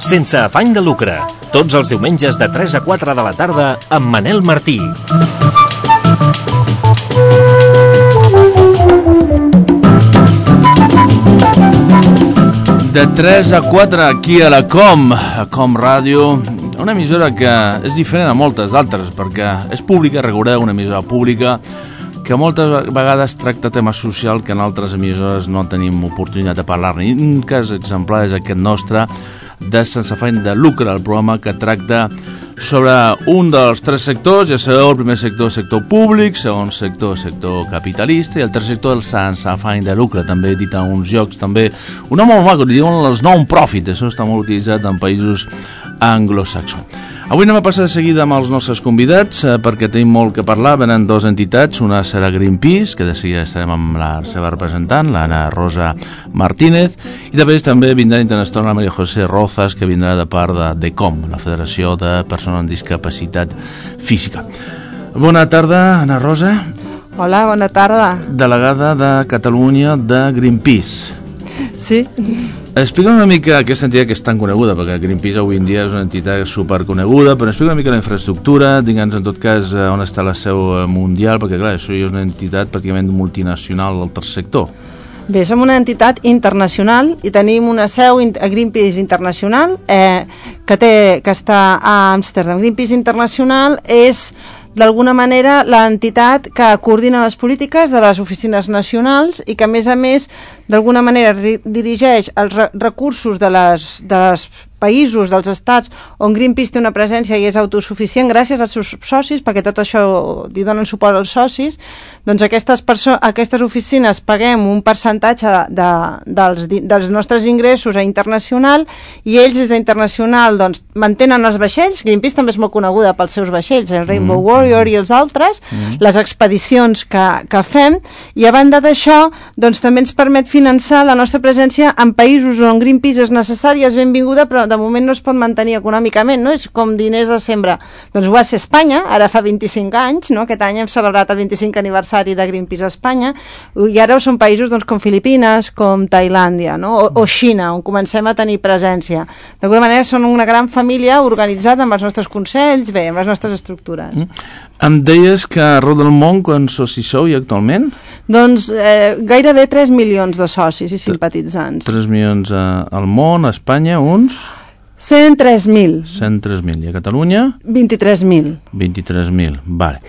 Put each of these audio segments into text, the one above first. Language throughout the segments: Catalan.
Sense afany de lucre, tots els diumenges de 3 a 4 de la tarda amb Manel Martí. De 3 a 4 aquí a la Com Ràdio, una emissora que és diferent a moltes altres perquè és pública, recordeu, una emissora pública que moltes vegades tracta temes socials que en altres emissores no tenim oportunitat de parlar-ne. Un cas exemplar és aquest nostre de Sense afany de lucre, el programa que tracta sobre un dels tres sectors, ja sabeu, el primer sector, sector públic, segon sector, sector capitalista, i el tercer sector, el sense afany de lucre, també dit en uns jocs, també un nom molt maco, li diuen els non-profit, això està molt utilitzat en països anglosaxons. Avui anem a passar de seguida amb els nostres convidats perquè tenim molt que parlar. Venen dues entitats, una serà Greenpeace, que de seguida estarem amb la seva representant, l'Anna Rosa Martínez, i després també vindrà internacional la Maria José Rozas, que vindrà de part de DECOM, la Federació de Persones amb Discapacitat Física. Bona tarda, Anna Rosa. Hola, bona tarda. Delegada de Catalunya de Greenpeace. Sí. Explica una mica aquesta entitat que és tan coneguda, perquè Greenpeace avui en dia és una entitat superconeguda, però explica una mica la infraestructura, digue'ns en tot cas on està la seu mundial, perquè clar, això és una entitat pràcticament multinacional del tercer sector. Bé, som una entitat internacional i tenim una seu a Greenpeace Internacional que està a Amsterdam. Greenpeace Internacional és d'alguna manera l'entitat que coordina les polítiques de les oficines nacionals i que a més d'alguna manera dirigeix els recursos de les països, dels estats on Greenpeace té una presència i és autosuficient gràcies als seus socis, perquè tot això li donen suport als socis. Doncs aquestes oficines paguem un percentatge dels nostres ingressos a internacional i ells des d'internacional doncs, mantenen els vaixells. Greenpeace també és molt coneguda pels seus vaixells, el Rainbow Warrior i els altres, les expedicions que fem, i a banda d'això doncs, també ens permet finançar la nostra presència en països on Greenpeace és necessari i és benvinguda, però de moment no es pot mantenir econòmicament, no? És com diners de sembra. Doncs ho va ser Espanya, ara fa 25 anys, no? Aquest any hem celebrat el 25 aniversari de Greenpeace a Espanya, i ara són països doncs, com Filipines, com Tailàndia, no? o Xina, on comencem a tenir presència. D'alguna manera són una gran família organitzada amb els nostres consells, bé, amb les nostres estructures. Em deies que arreu del món, quants socis sou i actualment? Doncs gairebé 3 milions de socis i simpatitzants. 3 milions al món, a Espanya, uns? 103.000. 103.000. I a Catalunya? 23.000. 23.000, vale.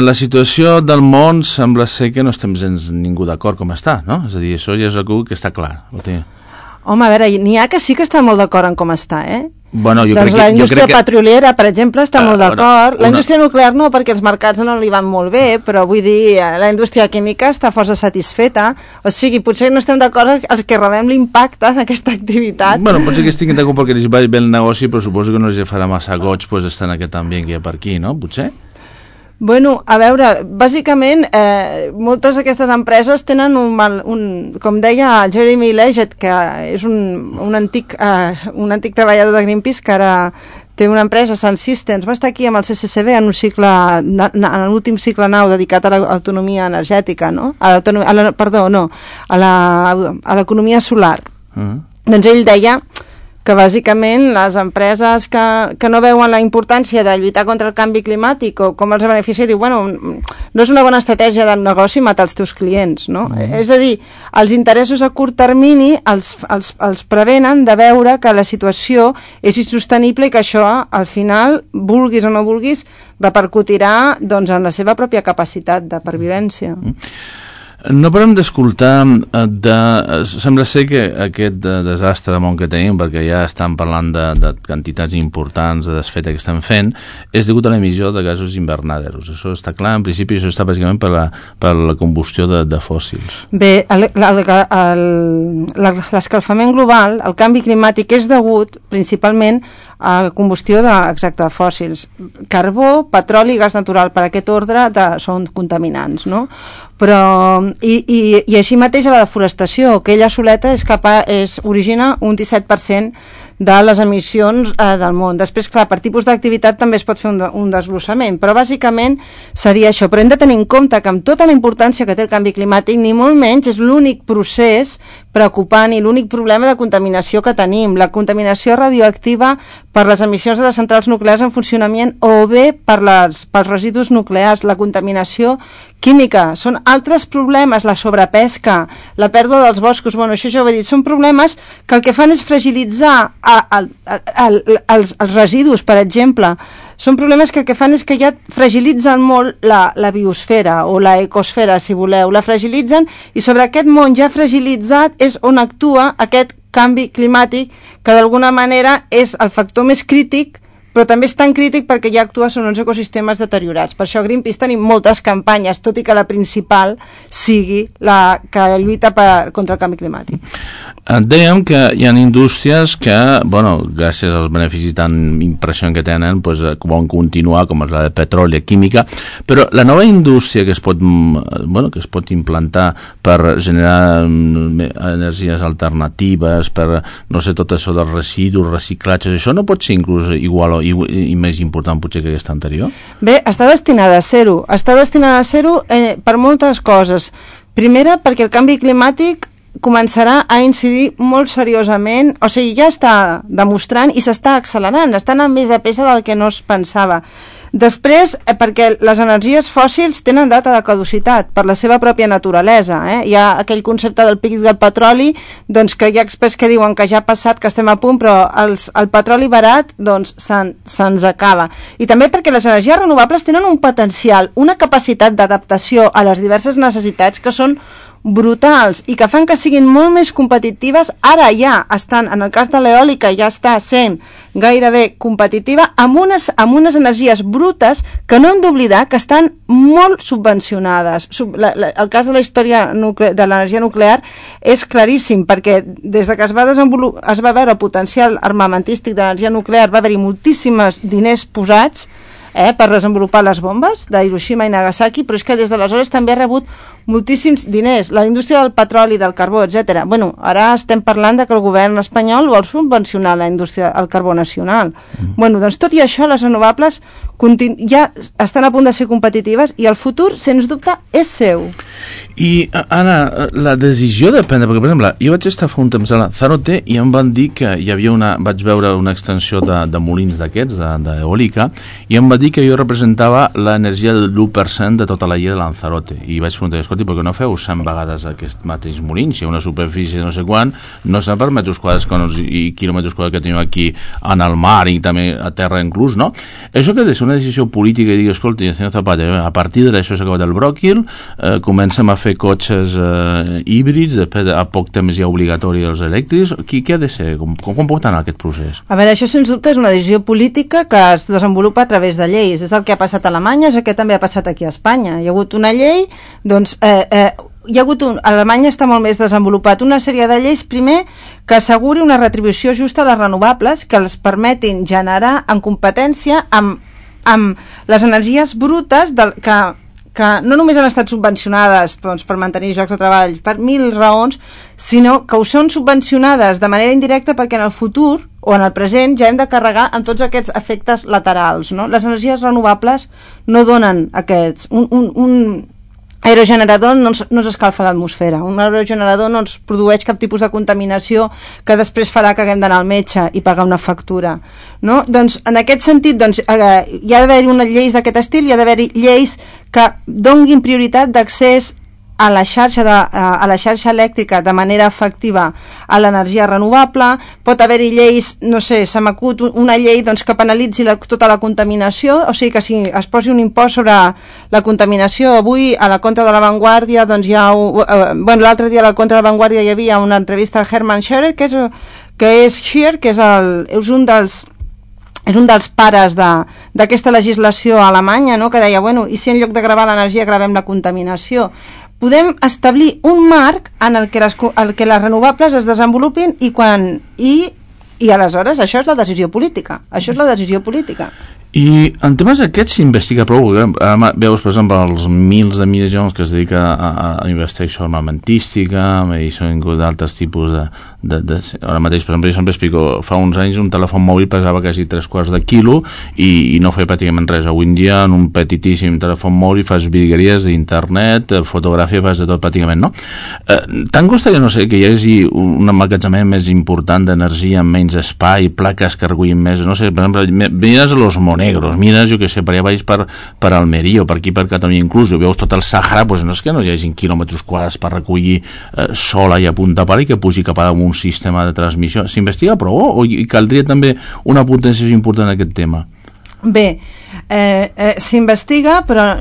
La situació del món sembla ser que no estem gens ningú d'acord com està, no? És a dir, això ja és algú que està clar. Home, a veure, n'hi ha que sí que està molt d'acord en com està, Bueno, doncs la indústria petroliera, per exemple, està molt d'acord. La indústria nuclear no, perquè els mercats no li van molt bé, però vull dir, la indústria química està força satisfeta. O sigui, potser no estem d'acord els que rebem l'impacte d'aquesta activitat. Bueno, potser que estiguin d'acord perquè els vagi bé el negoci, però suposo que no els farà massa goig pues, estar en aquest ambient que hi ha per aquí, no? Potser? Bueno, a veure, bàsicament moltes d'aquestes empreses tenen com deia Jeremy Leggett, que és un antic treballador de Greenpeace que ara té una empresa, Sun Systems, va estar aquí amb el CCCB en l'últim cicle nou dedicat a l'autonomia energètica, no? A l'economia solar. Doncs ell deia que bàsicament les empreses que no veuen la importància de lluitar contra el canvi climàtic o com els beneficia, diu, bueno, no és una bona estratègia de negoci matar els teus clients, no? És a dir, els interessos a curt termini els prevenen de veure que la situació és insostenible i que això, al final, vulguis o no vulguis, repercutirà doncs, en la seva pròpia capacitat de pervivència. No parem d'escoltar sembla ser que aquest desastre de món que tenim, perquè ja estan parlant de quantitats importants de desfeta que estan fent, és degut a l'emissió de gasos invernaderos. Això està clar, en principi això està bàsicament per la combustió de fòssils. Bé, l'escalfament global, el canvi climàtic és degut principalment a la combustió de fòssils. Carbó, petroli i gas natural, per aquest ordre són contaminants, no? Però i així mateix a la deforestació, que ella soleta origina un 17% de les emissions del món. Després, clar, per tipus d'activitat també es pot fer un desglossament, però bàsicament seria això. Però hem de tenir en compte que amb tota la importància que té el canvi climàtic, ni molt menys és l'únic procés preocupant i l'únic problema de contaminació que tenim. La contaminació radioactiva per les emissions de les centrals nuclears en funcionament o bé pels residus nuclears, la contaminació química. Són altres problemes, la sobrepesca, la pèrdua dels boscos, bueno, això ja ho he dit, són problemes que el que fan és fragilitzar els residus, per exemple. Són problemes que el que fan és que ja fragilitzen molt la biosfera o la ecosfera, si voleu. La fragilitzen i sobre aquest món ja fragilitzat és on actua aquest canvi climàtic, que d'alguna manera és el factor més crític, però també és tan crític perquè ja actua sobre uns ecosistemes deteriorats. Per això a Greenpeace tenim moltes campanyes, tot i que la principal sigui la que lluita contra el canvi climàtic. Dèiem que hi ha indústries que, bueno, gràcies als beneficis tan impressionants que tenen, pues, poden continuar, com la de petroli, química, però la nova indústria que es pot implantar per generar energies alternatives, per, no sé, tot això dels residus, reciclatges, això no pot ser inclús igual i més important potser que aquesta anterior? Bé, està destinada a ser-ho. Està destinada a ser-ho per moltes coses. Primera, perquè el canvi climàtic començarà a incidir molt seriosament, o sigui, ja està demostrant i s'està accelerant, està anant més de pressa del que no es pensava. Després, perquè les energies fòssils tenen data de caducitat per la seva pròpia naturalesa. Hi ha aquell concepte del pic del petroli, doncs que hi ha experts que diuen que ja ha passat, que estem a punt, però el petroli barat doncs se'ns acaba. I també perquè les energies renovables tenen un potencial, una capacitat d'adaptació a les diverses necessitats que són brutals i que fan que siguin molt més competitives. Ara ja estan, en el cas de l'eòlica ja està sent gairebé competitiva amb unes energies brutes que no hem d'oblidar que estan molt subvencionades. El cas de la història de l'energia nuclear és claríssim, perquè des que es va veure el potencial armamentístic de l'energia nuclear va haver-hi moltíssims diners posats per desenvolupar les bombes de Hiroshima i Nagasaki, però és que des d'aleshores també ha rebut moltíssims diners, la indústria del petroli, del carbó, etc. Bueno, ara estem parlant de que el govern espanyol vol subvencionar la indústria del carbó nacional. Bueno, doncs tot i això, les renovables ja estan a punt de ser competitives i el futur, sens dubte, és seu. I, Anna, la decisió de prendre, perquè, per exemple, jo vaig estar fa un temps a la Zarote i em van dir que hi havia vaig veure una extensió de molins d'aquests, d'eòlica, i em va dir que jo representava l'energia del 1% de tota la illa de Lanzarote. I vaig preguntar, escolti, per què no feu 100 vegades aquest mateix molin? Si hi ha una superfície no sé quant, no sé per metres quadrats i quilòmetres quadrats que tenim aquí en el mar i també a terra inclús, no? Això que ha de ser una decisió política i dir, escolti, senyor Zapatero, a partir d'això s'ha acabat el bròquil, comencem a fer cotxes híbrids, després a poc temps ja obligatori els elèctrics. Què ha de ser? Com pot anar aquest procés? A veure, això sens dubte és una decisió política que es desenvolupa a través de lleis. És el que ha passat a Alemanya, és el que també ha passat aquí a Espanya. Hi ha hagut una llei, doncs hi ha hagut Alemanya està molt més desenvolupat una sèrie de lleis, primer, que asseguri una retribució justa a les renovables, que els permetin generar en competència amb les energies brutes que no només han estat subvencionades doncs, per mantenir llocs de treball per 1000 raons, sinó que ho són subvencionades de manera indirecta perquè en el futur o en el present ja hem de carregar amb tots aquests efectes laterals, no? Les energies renovables no donen aquests... Un aerogenerador no s'escalfa l'atmosfera, un aerogenerador no ens produeix cap tipus de contaminació que després farà que haguem d'anar al metge i pagar una factura, no? Doncs en aquest sentit doncs, hi ha d'haver-hi unes lleis d'aquest estil, hi ha d'haver-hi lleis que donguin prioritat d'accés a la xarxa elèctrica de manera efectiva a l'energia renovable. Pot haver-hi lleis, no sé, se m'acut una llei doncs, que penalitzi tota la contaminació, o sigui que si es posi un impost sobre la contaminació. Avui a la Contra de la Vanguardia doncs, l'altre dia a la Contra de la Vanguardia hi havia una entrevista al Hermann Scherer, que és un dels pares d'aquesta legislació alemanya, no? Que deia, bueno, i si en lloc de gravar l'energia gravem la contaminació? Podem establir un marc en el que les renovables es desenvolupin i aleshores això és la decisió política. I en temes aquests s'investiga prou, ara veus, per exemple, els mils de milions que es dedica a investigació armamentística, i són d'altres tipus ara mateix, per exemple, jo sempre explico, fa uns anys un telèfon mòbil pesava quasi 3/4 de quilo i no feia pràcticament res. Avui en dia, en un petitíssim telèfon mòbil fas virgueries d'internet, fotografia, fas de tot pràcticament, no? Tant costaria, no sé, que hi hagi un emmagatzemament més important d'energia amb menys espai, plaques que recullin més, no sé, per exemple, mires los Monegros, mires, jo que sé, per allà baix per Almeria o per aquí per Catalunya inclús, veus tot el Sàhara, doncs no és que no hi hagi quilòmetres quadrats per recollir sol allà a punta pala i que pugi cap a un sistema de transmissió. S'investiga prou o caldria també una potenciació important en aquest tema? Bé, s'investiga, però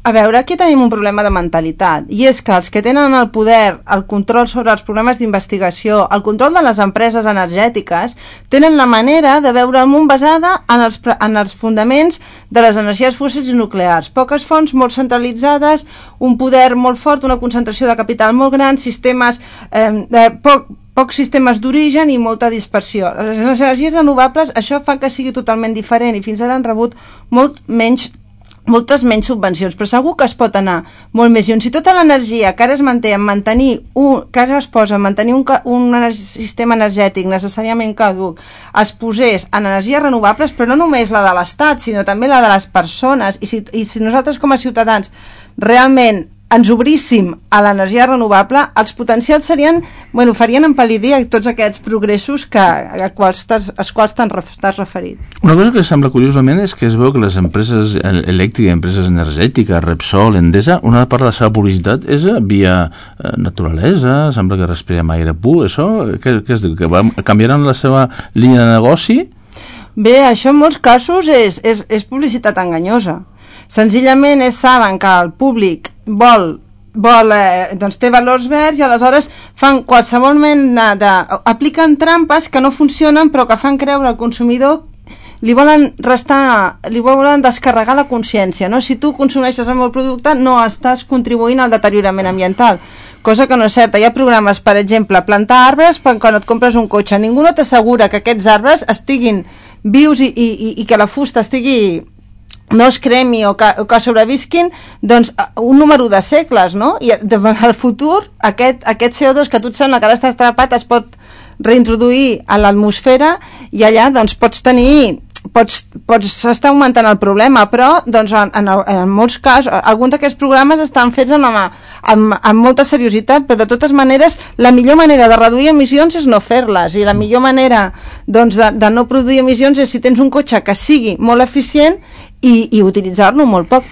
a veure, aquí tenim un problema de mentalitat, i és que els que tenen el poder, el control sobre els programes d'investigació, el control de les empreses energètiques, tenen la manera de veure el món basada en els fundaments de les energies fòssils i nuclears. Poques fonts molt centralitzades, un poder molt fort, una concentració de capital molt gran, sistemes pocs sistemes d'origen i molta dispersió. Les energies renovables, això fa que sigui totalment diferent i fins ara han rebut moltes menys subvencions, però segur que es pot anar molt més lluny. Si tota l'energia que ara es manté en mantenir un sistema energètic necessàriament caduc es posés en energies renovables, però no només la de l'Estat, sinó també la de les persones, i si nosaltres com a ciutadans realment ens obríssim a l'energia renovable, els potencials farien empal·lidir tots aquests progressos als quals t'has referit. Una cosa que sembla curiosament és que es veu que les empreses elèctriques, empreses energètiques, Repsol, Endesa, una part de la seva publicitat és via naturalesa, sembla que respirem aire pur, això, què es diu? Que canviaran la seva línia de negoci? Bé, això en molts casos és publicitat enganyosa. Senzillament saben que el públic té valors verds i aleshores fan qualsevol mena apliquen trampes que no funcionen però que fan creure al consumidor, li volen descarregar la consciència, no? Si tu consumeixes el meu producte no estàs contribuint al deteriorament ambiental, cosa que no és certa. Hi ha programes, per exemple, plantar arbres quan et compres un cotxe, ningú no t'assegura que aquests arbres estiguin vius i que la fusta no es cremi o que sobrevisquin un número de segles, no? I al futur aquest CO2 que a tu et sembla que ara està atrapat es pot reintroduir a l'atmosfera i allà pots estar augmentant el problema, però en molts casos alguns d'aquests programes estan fets amb molta seriositat, però de totes maneres la millor manera de reduir emissions és no fer-les, i la millor manera de no produir emissions és si tens un cotxe que sigui molt eficient i utilitzar-lo molt poc.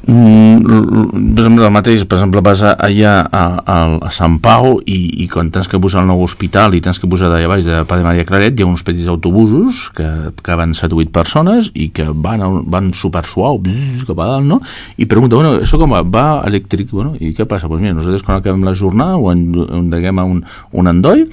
Per exemple, vas allà a Sant Pau i quan tens que posar el nou hospital i tens que posar d'allà baix de Padre Maria Claret, hi ha uns petits autobusos que van 7 o 8 persones i que van super suau cap a dalt, no? I pregunta, això com va elèctric? I què passa? Doncs mira, nosaltres quan acabem la jornada ho endeguem a un endoll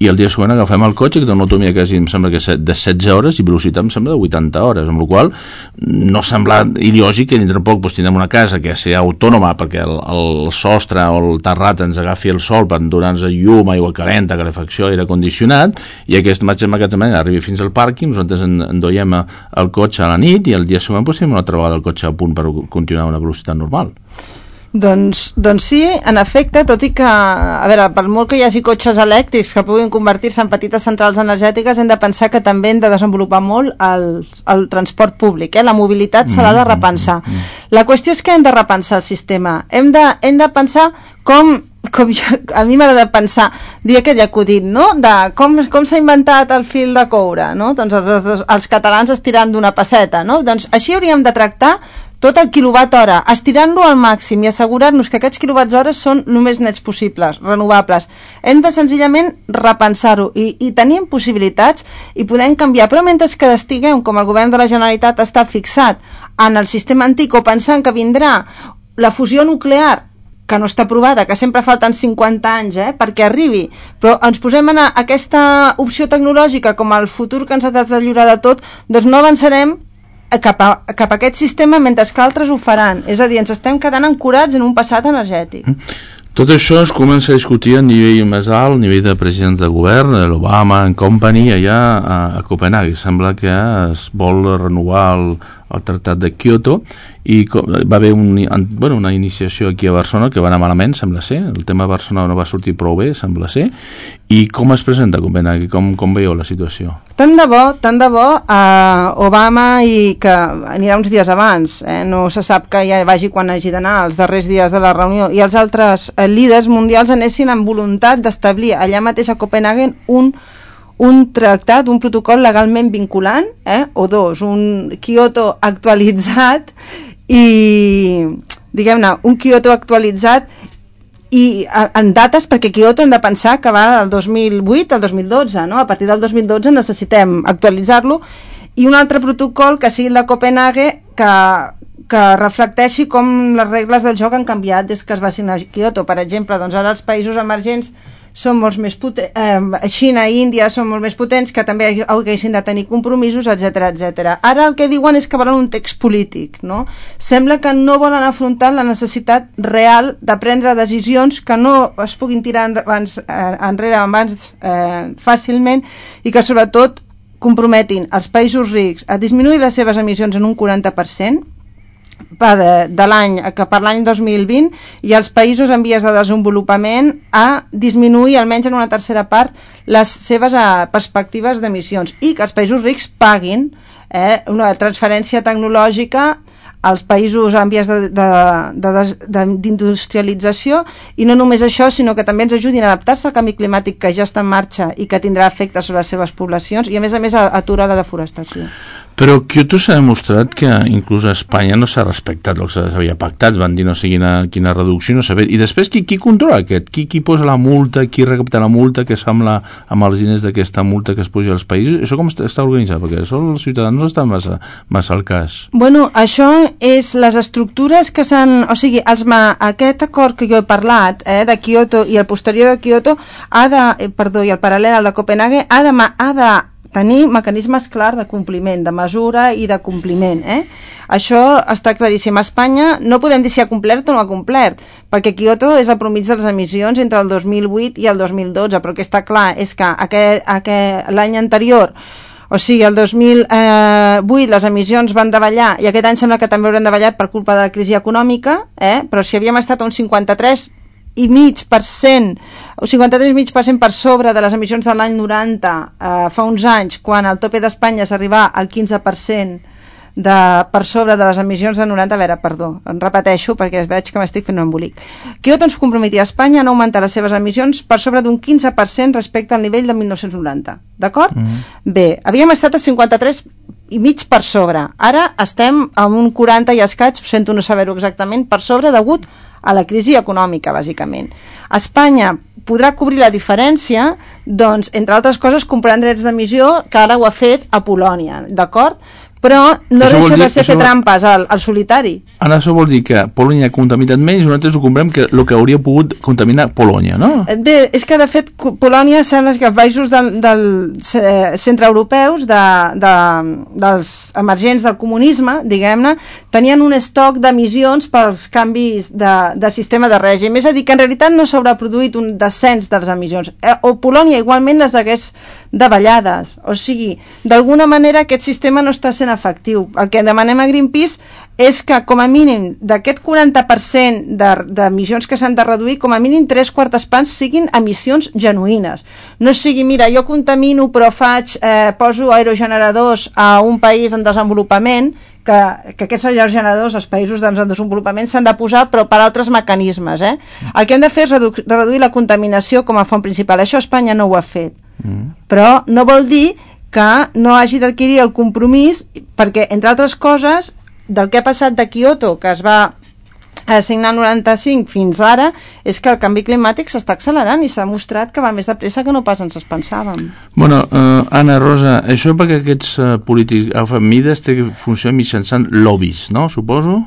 i el dia següent agafem el cotxe que té una autonomia quasi, em sembla que de 16 hores i velocitat em sembla de 80 hores, amb la qual no sembla il·lògic que dintre poc tindrem una casa que sigui autònoma perquè el sostre o el terrat ens agafi el sol per donar-nos llum, aigua calenta, calefacció, aire condicionat, i aquest magatzemament arribi fins al pàrquing, nosaltres endoiem el cotxe a la nit i el dia següent tenim una altra vegada el cotxe a punt per continuar a una velocitat normal. Doncs sí, en efecte, tot i que, a veure, per molt que hi hagi cotxes elèctrics que puguin convertir-se en petites centrals energètiques, hem de pensar que també hem de desenvolupar molt el transport públic, la mobilitat se l'ha de repensar. La qüestió és que hem de repensar el sistema, hem de pensar a mi m'agrada pensar, dir aquell acudit, no? De com s'ha inventat el fil de coure, no? Doncs els catalans estirant d'una pesseta, no? Doncs així hauríem de tractar tot el quilowatt hora, estirant-lo al màxim i assegurar-nos que aquests quilowatts hores són el més nets possibles, renovables. Hem de senzillament repensar-ho i tenim possibilitats i podem canviar, però mentre que estiguem, com el govern de la Generalitat està fixat en el sistema antic o pensant que vindrà la fusió nuclear, que no està aprovada, que sempre falten 50 anys perquè arribi, però ens posem en aquesta opció tecnològica com el futur que ens ha de lliurar de tot, doncs no avançarem cap a aquest sistema mentre que altres ho faran. És a dir, ens estem quedant ancorats en un passat energètic. Tot això es comença a discutir a nivell més alt, a nivell de presidents de govern, l'Obama and Company, allà a Copenhague. Sembla que es vol renovar el Tractat de Kyoto i va haver una iniciació aquí a Barcelona que va anar malament, sembla ser. El tema de Barcelona no va sortir prou bé, sembla ser. I com es presenta a Copenhague? Com veieu la situació? Tant de bo, Obama, i que anirà uns dies abans, no se sap que ja vagi quan hagi d'anar, els darrers dies de la reunió, i els altres líders mundials anessin amb voluntat d'establir allà mateix a Copenhague un tractat, un protocol legalment vinculant, o dos, un Kyoto actualitzat i, diguem-ne, un Kyoto actualitzat i en dates, perquè Kyoto hem de pensar que va del 2008 al 2012, no? A partir del 2012 necessitem actualitzar-lo, i un altre protocol que sigui el de Copenhague que reflecteixi com les regles del joc han canviat des que es va signar Kyoto. Per exemple, doncs ara els països emergents són molts més potents, Xina i Índia són molt més potents, que també haguessin de tenir compromisos, etc. Ara el que diuen és que volen un text polític, no? Sembla que no volen afrontar la necessitat real de prendre decisions que no es puguin tirar enrere fàcilment, i que sobretot comprometin els països rics a disminuir les seves emissions en un 40% per l'any 2020, i els països en vies de desenvolupament a disminuir almenys en una tercera part les seves perspectives d'emissions, i que els països rics paguin una transferència tecnològica als països en vies d'industrialització, i no només això, sinó que també ens ajudin a adaptar-se al canvi climàtic que ja està en marxa i que tindrà efectes sobre les seves poblacions, i a més aturar la deforestació. Però Kyoto s'ha demostrat que inclús a Espanya no s'ha respectat el que s'havia pactat, van dir no sé quina reducció, no s'ha fet. I després qui controla aquest? Qui posa la multa, qui recapta la multa, que es fa amb els diners d'aquesta multa que es puja als països? Això com està organitzat? Perquè això els ciutadans no estan massa al cas. Bueno, això és les estructures que s'han... O sigui, aquest acord que jo he parlat, de Kyoto i el posterior a Kyoto, i el paral·lel al de Copenhague, ha de tenir mecanismes clars de compliment, de mesura i de compliment. Això està claríssim. A Espanya no podem dir si ha complert o no ha complert, perquè Kyoto és la mitjana de les emissions entre el 2008 i el 2012, però el que està clar és que l'any anterior, o sigui, el 2008 les emissions van davallar, i aquest any sembla que també hauran davallat per culpa de la crisi econòmica, però si havíem estat a un 53,5%, o 53,5% per sobre de les emissions de l'any 90 fa uns anys, quan al tope d'Espanya s'arribà al 15% per sobre de les emissions de 90. A veure, perdó, em repeteixo perquè veig que m'estic fent un embolic. Kyoto ens comprometia a Espanya a augmentar les seves emissions per sobre d'un 15% respecte al nivell de 1990, d'acord? Bé, havíem estat a 53,5% per sobre, ara estem amb un 40 i escaig, sento no saber-ho exactament, per sobre degut a la crisi econòmica, bàsicament. Espanya podrà cobrir la diferència, doncs, entre altres coses, comprant drets d'emissió, que ara ho ha fet a Polònia, d'acord? Però no deixa de ser fer trampes al solitari. Ara això vol dir que Polònia ha contaminat menys, nosaltres ho comprem que el que hauria pogut contaminar Polònia, no? Bé, és que de fet Polònia sembla que els països centreeuropeus, dels emergents del comunisme, diguem-ne, tenien un estoc d'emissions pels canvis de sistema de règim. És a dir, que en realitat no s'haurà produït un descens de les emissions. O Polònia igualment les hagués davallades. O sigui, d'alguna manera aquest sistema no està sent efectiu. El que demanem a Greenpeace és que com a mínim d'aquest 40% d'emissions que s'han de reduir, com a mínim 3/4 parts siguin emissions genuïnes. No sigui, mira, jo contamino però poso aerogeneradors a un país en desenvolupament, que aquests aerogeneradors als països en desenvolupament s'han de posar però per altres mecanismes. El que hem de fer és reduir la contaminació com a font principal. Això Espanya no ho ha fet. Però no vol dir que no hagi d'adquirir el compromís, perquè, entre altres coses, del que ha passat de Kyoto, que es va signar el 95 fins ara, és que el canvi climàtic s'està accelerant i s'ha mostrat que va més de pressa que no pas ens pensàvem. Bueno, Anna Rosa, això perquè aquests polítics agafen mides té que funcionar mitjançant lobbies, no? Suposo?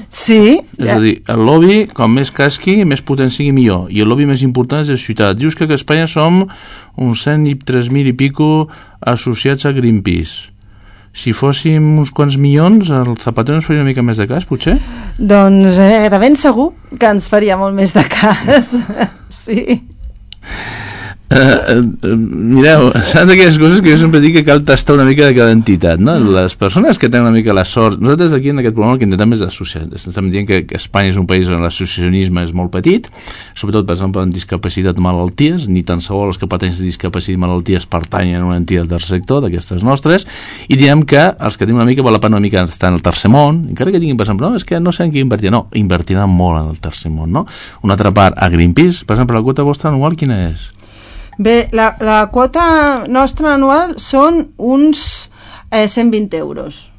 Sí. És a dir, el lobby, com més casqui, més potent sigui millor. I el lobby més important és la ciutat. Dius que a Espanya som uns 103.000 i pico associats a Greenpeace. Si fóssim uns quants milions, el Zapatero ens faria una mica més de cas, potser? Doncs de ben segur que ens faria molt més de cas. Sí. Mireu, saps d'aquelles coses que jo sempre dic que cal tastar una mica de cada entitat, no? Les persones que tenen una mica la sort, nosaltres aquí en aquest programa el que intentem és associar, estem dient que Espanya és un país on l'associacionisme és molt petit, sobretot per exemple en discapacitat o malalties, ni tan sols els que pateixen discapacitat i malalties pertanyen a una entitat del sector d'aquestes nostres, i diem que els que tenim una mica val la pena una mica estar en el tercer món, encara que tinguin per exemple, no, és que no sé en què invertir, no, invertiran molt en el tercer món, no? Una altra part, a Greenpeace, per exemple, la quota vostra anual quina és? Bé, la quota nostra anual són uns 120 euros.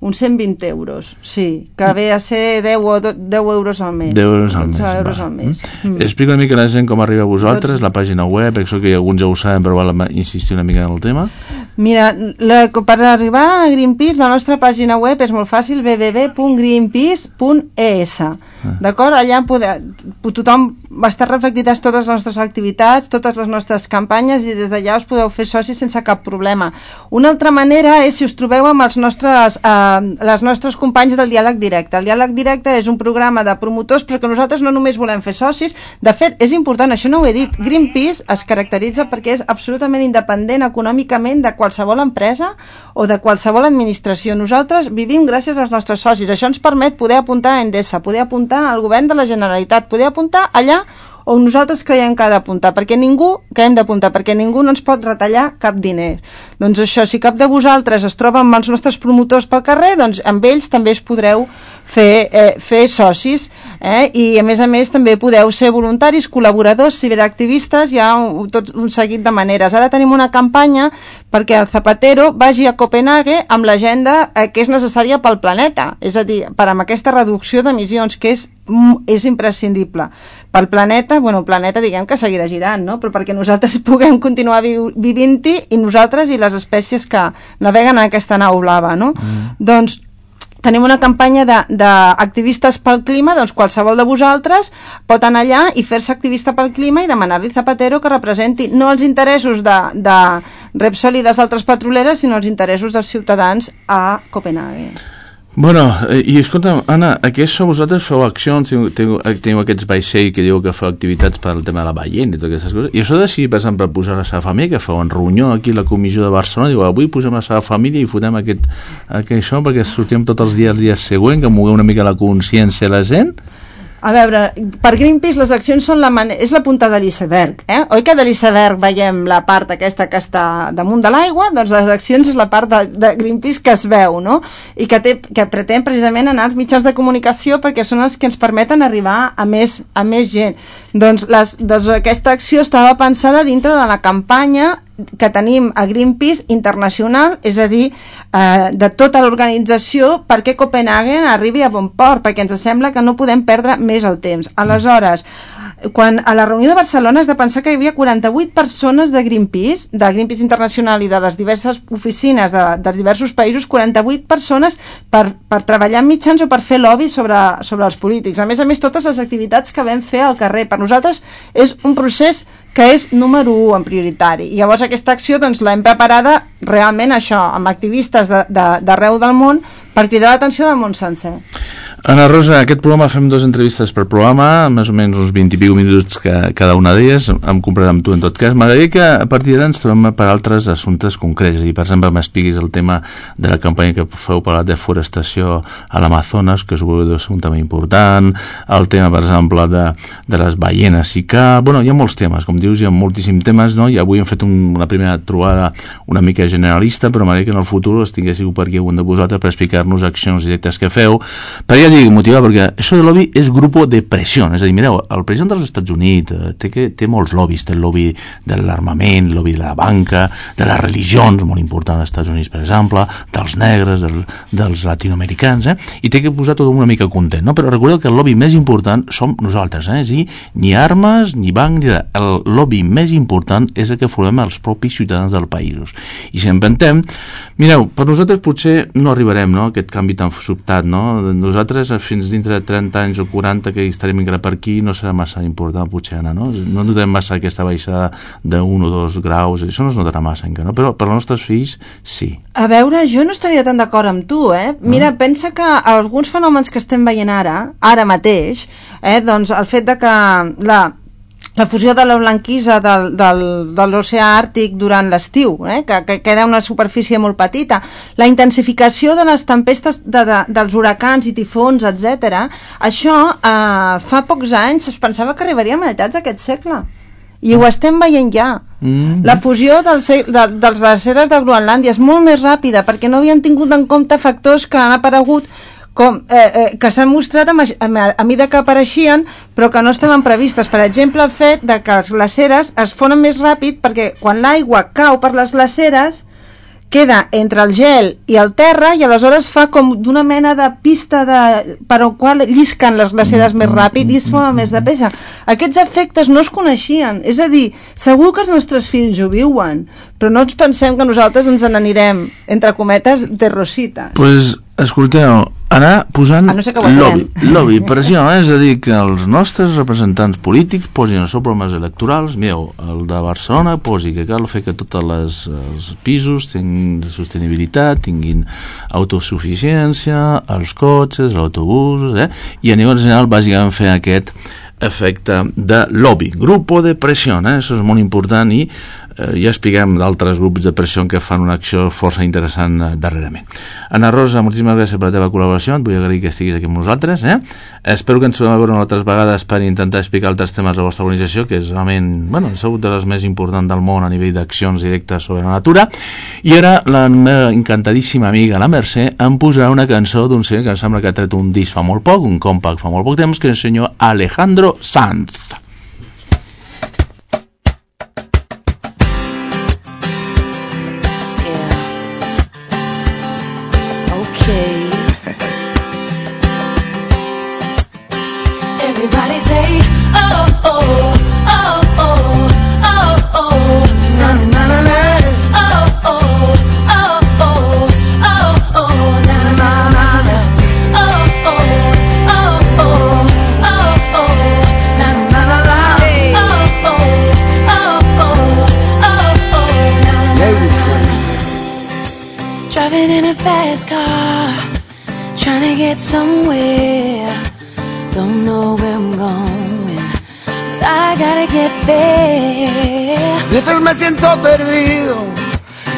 Uns 120 euros, sí, que ve a ser 10 euros al mes. 10 euros al mes. 10 euros al mes. Explica una mica a la gent com arriba a vosaltres, la pàgina web, penso que alguns ja ho saben, però val insistir una mica en el tema. Mira, per arribar a Greenpeace, la nostra pàgina web és molt fàcil, www.greenpeace.es. D'acord? Allà tothom va estar reflectides totes les nostres activitats, totes les nostres campanyes, i des d'allà us podeu fer socis sense cap problema. Una altra manera és si us trobeu amb els nostres companys del Diàleg Directe. El Diàleg Directe és un programa de promotors, però que nosaltres no només volem fer socis. De fet, és important, això no ho he dit, Greenpeace es caracteritza perquè és absolutament independent econòmicament de qualsevol empresa o de qualsevol administració. Nosaltres vivim gràcies als nostres socis. Això ens permet poder apuntar a Endesa, poder apuntar al govern de la Generalitat, poder apuntar allà on nosaltres creiem que ha d'apuntar, perquè ningú no ens pot retallar cap diner. Doncs això, si cap de vosaltres es troba amb els nostres promotors pel carrer, doncs amb ells també es podreu fer socis, i a més també podeu ser voluntaris, col·laboradors, ciberactivistes, hi ha tot un seguit de maneres. Ara tenim una campanya perquè el Zapatero vagi a Copenhague amb l'agenda que és necessària pel planeta, és a dir, per amb aquesta reducció d'emissions que és imprescindible pel planeta. Bueno, el planeta diguem que seguirà girant, no? Però perquè nosaltres puguem continuar vivint-hi, i nosaltres i les espècies que naveguen en aquesta nau blava, no? Doncs tenim una campanya d'activistes pel clima, doncs qualsevol de vosaltres pot anar allà i fer-se activista pel clima i demanar-li a Zapatero que representi no els interessos de Repsol i les altres petroleres, sinó els interessos dels ciutadans a Copenhague. Bueno, i escolta, Anna, això vosaltres feu accions, teniu aquests vaixells que diu que feu activitats per al tema de la ballena i totes aquestes coses, i això de si, per exemple, posar la seva família, que feu en reunió aquí a la comissió de Barcelona, diu, avui posem la seva família i fotem això perquè sortim tots els dies següent, que mogueu una mica la consciència a la gent. A veure, per Greenpeace les accions són és la punta de l'iceberg, Oi que de l'iceberg veiem la part aquesta que està damunt de l'aigua? Doncs les accions és la part de Greenpeace que es veu, no? I que pretén precisament anar als mitjans de comunicació perquè són els que ens permeten arribar a més gent. Doncs aquesta acció estava pensada dintre de la campanya que tenim a Greenpeace internacional, és a dir, de tota l'organització perquè Copenhagen arribi a bon port, perquè ens sembla que no podem perdre més el temps. Aleshores, quan a la reunió de Barcelona has de pensar que hi havia 48 persones de Greenpeace Internacional i de les diverses oficines dels diversos països, 48 persones per treballar en mitjans o per fer lobby sobre els polítics. A més, totes les activitats que vam fer al carrer. Per nosaltres és un procés que és número 1 en prioritari. I llavors aquesta acció doncs, l'hem preparada realment això, amb activistes d'arreu del món per cridar l'atenció del món sencer. Ana Rosa, aquest programa fem 2 entrevistes per programa, més o menys uns 20 i pico minuts cada una d'elles, em compraré amb tu en tot cas. M'agradaria que a partir d'ara ens trobem per altres assumptes concrets, i per exemple m'expliquis el tema de la campanya que feu per la deforestació a l'Amazones, que suposo que és un tema important, el tema per exemple de les ballenes i que, bueno, hi ha molts temes, com dius, hi ha moltíssims temes, no? I avui hem fet una primera trobada una mica generalista, però m'agradaria que en el futur els tinguéssiu per aquí algun de vosaltres per explicar-nos accions directes que feu, perquè motivar, perquè això de lobby és grup de pressió, és a dir, mireu, el president dels Estats Units té molts lobbies, té el lobby de l'armament, el lobby de la banca, de les religions, molt important als Estats Units, per exemple, dels negres, dels latinoamericans, i té que posar tot una mica content, no? Però recordeu que el lobby més important som nosaltres, és a dir, ni armes, ni banc, ni res. El lobby més important és el que formem els propis ciutadans dels països. I si en pentem, mireu, per nosaltres potser no arribarem, no?, a aquest canvi tan sobtat, no? Nosaltres nosaltres fins dintre de 30 anys o 40 que estarem encara per aquí no serà massa important potser anar, no? No notem massa aquesta baixada de 1 o 2 graus, això no es notarà massa encara, no? Però per als nostres fills sí. A veure, jo no estaria tan d'acord amb tu, Mira, pensa que alguns fenòmens que estem veient ara mateix, doncs el fet de que la fusió de la blanquisa de l'oceà Àrtic durant l'estiu, que queda una superfície molt petita, la intensificació de les tempestes dels huracans i tifons, etc. Això fa pocs anys es pensava que arribaria a meitats d'aquest segle i ho estem veient ja. La fusió dels glaceres de Groenlàndia és molt més ràpida perquè no havíem tingut en compte factors que han aparegut que s'han mostrat a mida que apareixien però que no estaven previstes. Per exemple, el fet de que les glaceres es fonen més ràpid perquè quan l'aigua cau per les glaceres queda entre el gel i el terra i aleshores fa com d'una mena de pista per al qual llisquen les glaceres més ràpid i es fa més de pressa. Aquests efectes no es coneixien, és a dir, segur que els nostres fills ho viuen, però no ens pensem que nosaltres ens n'anirem, entre cometes, de rosita. Pues, escolteu, anar posant lobby, per això, és a dir, que els nostres representants polítics posin els seus programes electorals, mireu, el de Barcelona posi que cal fer que tots els pisos tinguin sostenibilitat, tinguin autosuficiència, els cotxes, els autobusos, i a nivell general bàsicament fer aquest efecte de lobby, grupo de pressió, això és molt important i ja expliquem d'altres grups de pressió que fan una acció força interessant darrerament. Ana Rosa, moltíssimes gràcies per la teva col·laboració, et vull agrair que estiguis aquí amb nosaltres. Espero que ens trobem a veure altres vegades per intentar explicar altres temes de la vostra organització, que és realment, és una de les més importants del món a nivell d'accions directes sobre la natura. I ara la meva encantadíssima amiga la Mercè em posarà una cançó d'un senyor que em sembla que ha tret un disc fa molt poc, un compact fa molt poc temps, que és el senyor Alejandro Sanz. Everybody say, oh, oh, oh, oh, oh, oh, na na na na, oh, oh, oh, oh, oh, oh, na na na na, oh, oh, oh, oh, oh, oh, na na na na, oh, oh, oh, oh, oh, na na na. Driving in a fast car, trying to get somewhere. Don't know where I'm going, but I gotta get there. A veces me siento perdido,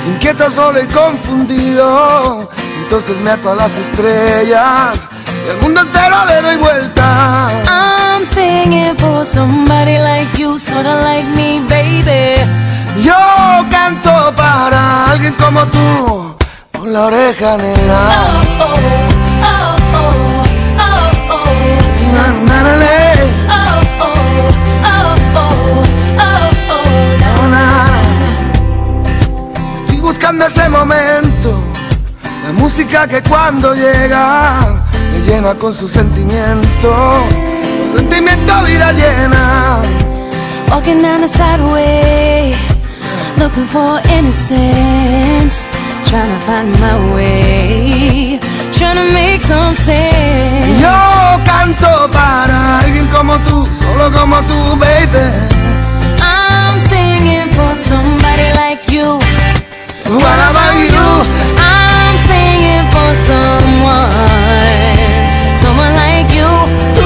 inquieto, solo y confundido. Entonces me ato a las estrellas y al mundo entero le doy vuelta. I'm singing for somebody like you, sorta like me, baby. Yo canto para alguien como tú, por la oreja negra. Oh, oh, oh, oh. Na, na, na, na. Oh, oh, oh, oh, oh, oh, na, na, na. Estoy buscando ese momento, la música que cuando llega me llena con su sentimiento, con sentimiento vida llena. Walking down the sideway, looking for innocence, trying to find my way, trying to make some sense. Yo canto para alguien como tú, solo como tú, baby. I'm singing for somebody like you. What about you? I'm singing for someone like you. Tú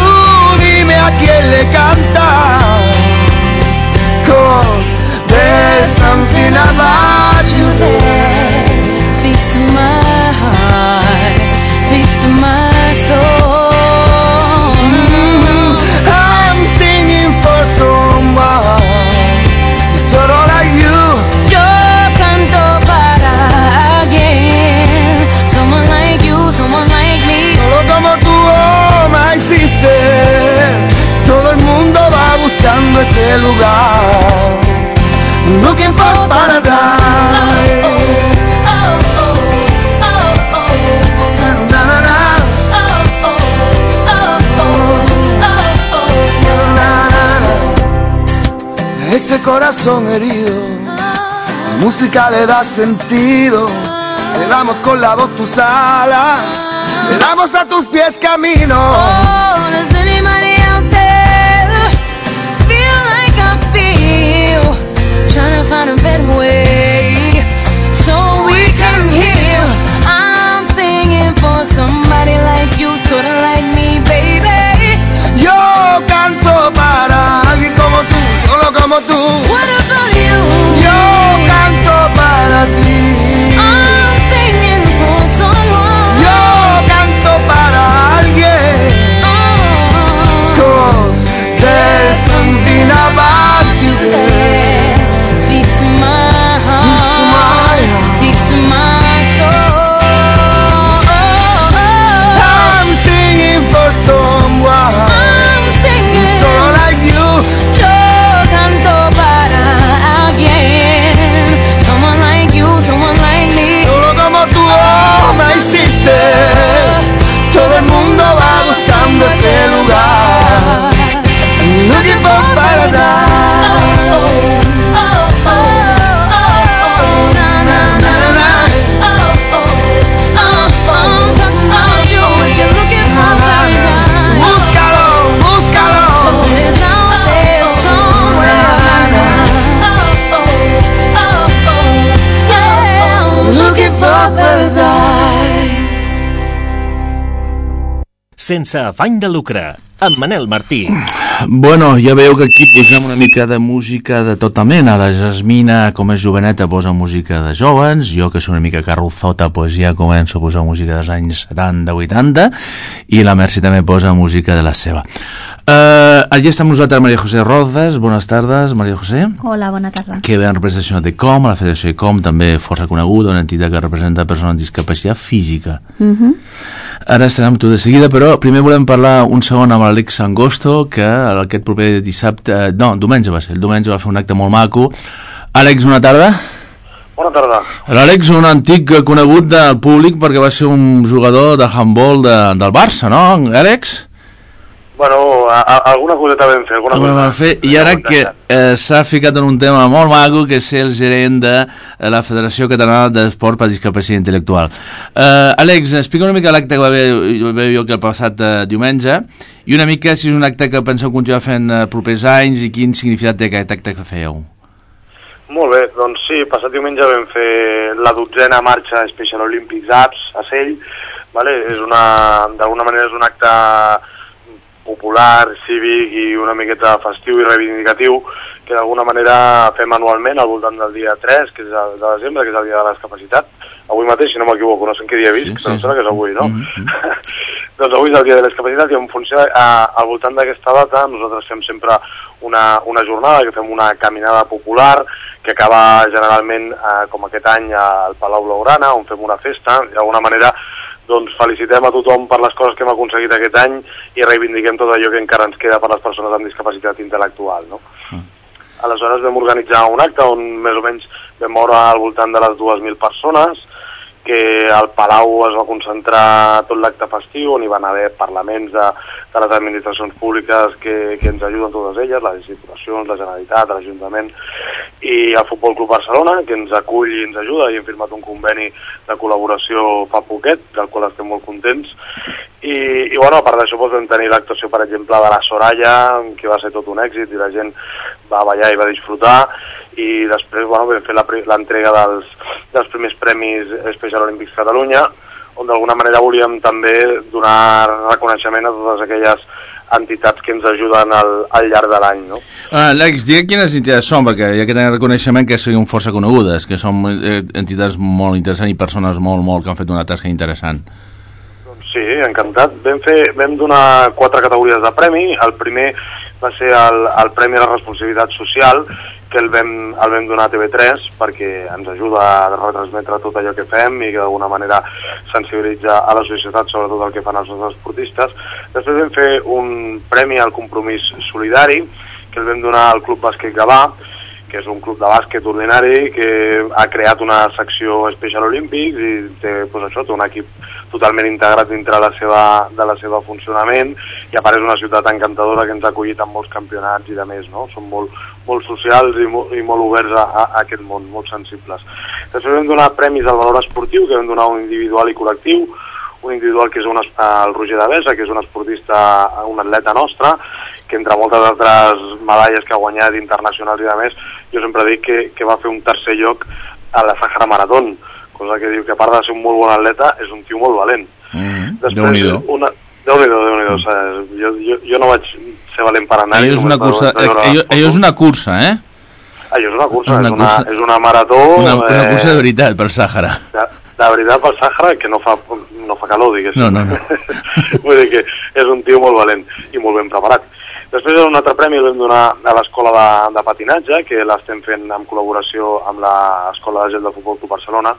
dime a quién le cantas, 'cause there's something about you that speaks to my heart, speaks to my soul. I'm singing for someone solo like you. Yo canto para alguien, someone like you, someone like me. Solo como tú, oh my sister. Todo el mundo va buscando ese lugar, looking for paradise. Ese corazón herido, la música le da sentido. Le damos con la voz tus alas, le damos a tus pies camino. Oh, does anybody out there feel like I feel? Trying to find a better way so we can heal. I'm singing for somebody like you, sorta like me, baby. Yo canto para alguien como tú, solo como tú. What about you? Yo canto para ti. I'm singing for someone. Yo canto para alguien. Oh, 'Cause there's something about you that speaks to my heart, speaks to my soul. I'm singing for someone I'm singing, solo like you. yo canto para alguien, someone like you, someone like me. Solo como tú, oh my sister. Todo el mundo va buscando ese lugar. Looking for paradise. Oh, oh, oh, oh, na, na, na, na. Oh, oh, oh, I'm talking about you if you're looking for paradise. Búscalo, búscalo. 'Cause it's out there somewhere. Oh, oh, oh, oh, yeah, I'm Looking for paradise. Sense afany de lucre, amb Manel Martí. Bueno, ja veieu que aquí posem una mica de música de tota mena. La Jasmina, com és joveneta, posa música de joves. Jo, que soc una mica carrozota, pues ja començo a posar música dels anys 70-80. I la Mercy també posa música de la seva. Allí està amb nosaltres Maria José Rozas. Bones tardes, Maria José. Hola, bona tarda. Que ve en representació de COM, la Federació de COM, també força coneguda, una entitat que representa persones amb discapacitat física. Ara estarem amb tu de seguida, però primer volem parlar un segon amb l'Àlex Angosto, que aquest proper dissabte, no, diumenge va ser, el diumenge va fer un acte molt maco. Àlex, bona tarda. Bona tarda. L'Àlex, un antic conegut del públic perquè va ser un jugador de handball del Barça, no, Àlex? Bueno, alguna coseta vam fer, alguna cosa. Vam fer, i ara que s'ha ficat en un tema molt maco, que és ser el gerent de la Federació Catalana d'Esport per Discapacitat Intel·lectual. Àlex, explica una mica l'acte que va haver jo que el passat diumenge, i una mica si és un acte que penseu continuar fent propers anys i quin significat té aquest acte que fèieu. Molt bé, doncs sí, passat diumenge vam fer la 12a marxa Special Olympics Apps a Sell, vale? D'alguna manera és un acte popular, cívic i una miqueta festiu i reivindicatiu que d'alguna manera fem anualment al voltant del dia 3, que és el de desembre, que és el dia de la discapacitat. Avui mateix, si no m'equivoco, no sé en què dia he vist, però em sembla que és avui, no? Doncs avui és el dia de la discapacitat i en funció al voltant d'aquesta data nosaltres fem sempre una jornada, que fem una caminada popular que acaba generalment, com aquest any, al Palau Blaugrana, on fem una festa, i d'alguna manera doncs felicitem a tothom per les coses que hem aconseguit aquest any i reivindiquem tot allò que encara ens queda per les persones amb discapacitat intel·lectual, no? Aleshores vam organitzar un acte on més o menys vam moure al voltant de les 2.000 persones, que al Palau es va concentrar tot l'acte festiu, on hi van haver parlaments de les administracions públiques que ens ajuden totes elles, les institucions, la Generalitat, l'Ajuntament, i el Futbol Club Barcelona, que ens acull i ens ajuda, i hem firmat un conveni de col·laboració fa poquet, del qual estem molt contents. I bueno, a part d'això vam tenir l'actuació, per exemple, de la Soraya, que va ser tot un èxit, i la gent va ballar i va disfrutar, i després bueno, vam fer l'entrega dels primers premis Special Olympics Catalunya, on d'alguna manera volíem també donar reconeixement a totes aquelles entitats que ens ajuden al llarg de l'any, no? Àlex, digue quines entitats són, perquè hi ha que tenir reconeixement que siguin força conegudes, que són entitats molt interessants i persones molt que han fet una tasca interessant. Doncs sí, encantat. Vam donar 4 categories de premi. El primer va ser el Premi a la Responsabilitat Social, que el vam donar a TV3 perquè ens ajuda a retransmetre tot allò que fem i que d'alguna manera sensibilitza a la societat sobre tot el que fan els nostres esportistes. Després vam fer un premi al compromís solidari, que el vam donar al Club Bàsquet Gavà, que és un club de bàsquet ordinari que ha creat una secció Special Olympics i té, doncs això, té un equip totalment integrat dintre de la seva funcionament, i a part és una ciutat encantadora que ens ha acollit en molts campionats i de més, no? Són molt socials i molt oberts a aquest món, molt sensibles. Després vam donar premis al valor esportiu, que vam donar un individual i col·lectiu, un individual que és el Roger Devesa, que és un esportista, un atleta nostre, que entre moltes altres medalles que ha guanyat internacionals i de més, jo sempre dic que va fer un tercer lloc a la Sahara Maratón, cosa que diu que a part de ser un molt bon atleta, és un tio molt valent. Déu-n'hi-do. Déu-n'hi-do. Jo no vaig ser valent per anar-hi. Allò és una cursa, eh? Allò és una cursa, és una marató... Una cursa de veritat per Sàhara. De veritat per Sàhara, que no fa calor, diguéssim. No. Vull dir que és un tio molt valent i molt ben preparat. Després un altre premi el vam donar a l'escola de patinatge, que l'estem fent en col·laboració amb l'Escola de Gel de Futbol Club Barcelona,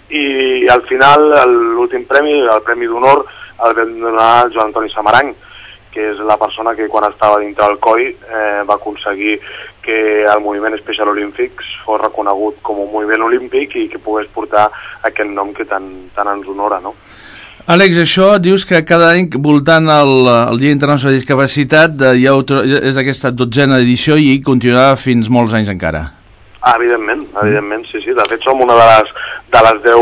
i al final l'últim premi, el Premi d'Honor, el vam donar al Joan Antoni Samaranc, que és la persona que quan estava dintre del COI va aconseguir que el moviment Special Olympics fos reconegut com un moviment olímpic i que pogués portar aquest nom que tant ens honora, no? Àlex, això dius que cada any, voltant el Dia Internacional de Discapacitat, és aquesta 12a edició i continuarà fins molts anys encara. Evidentment, sí. De fet, som una de les 10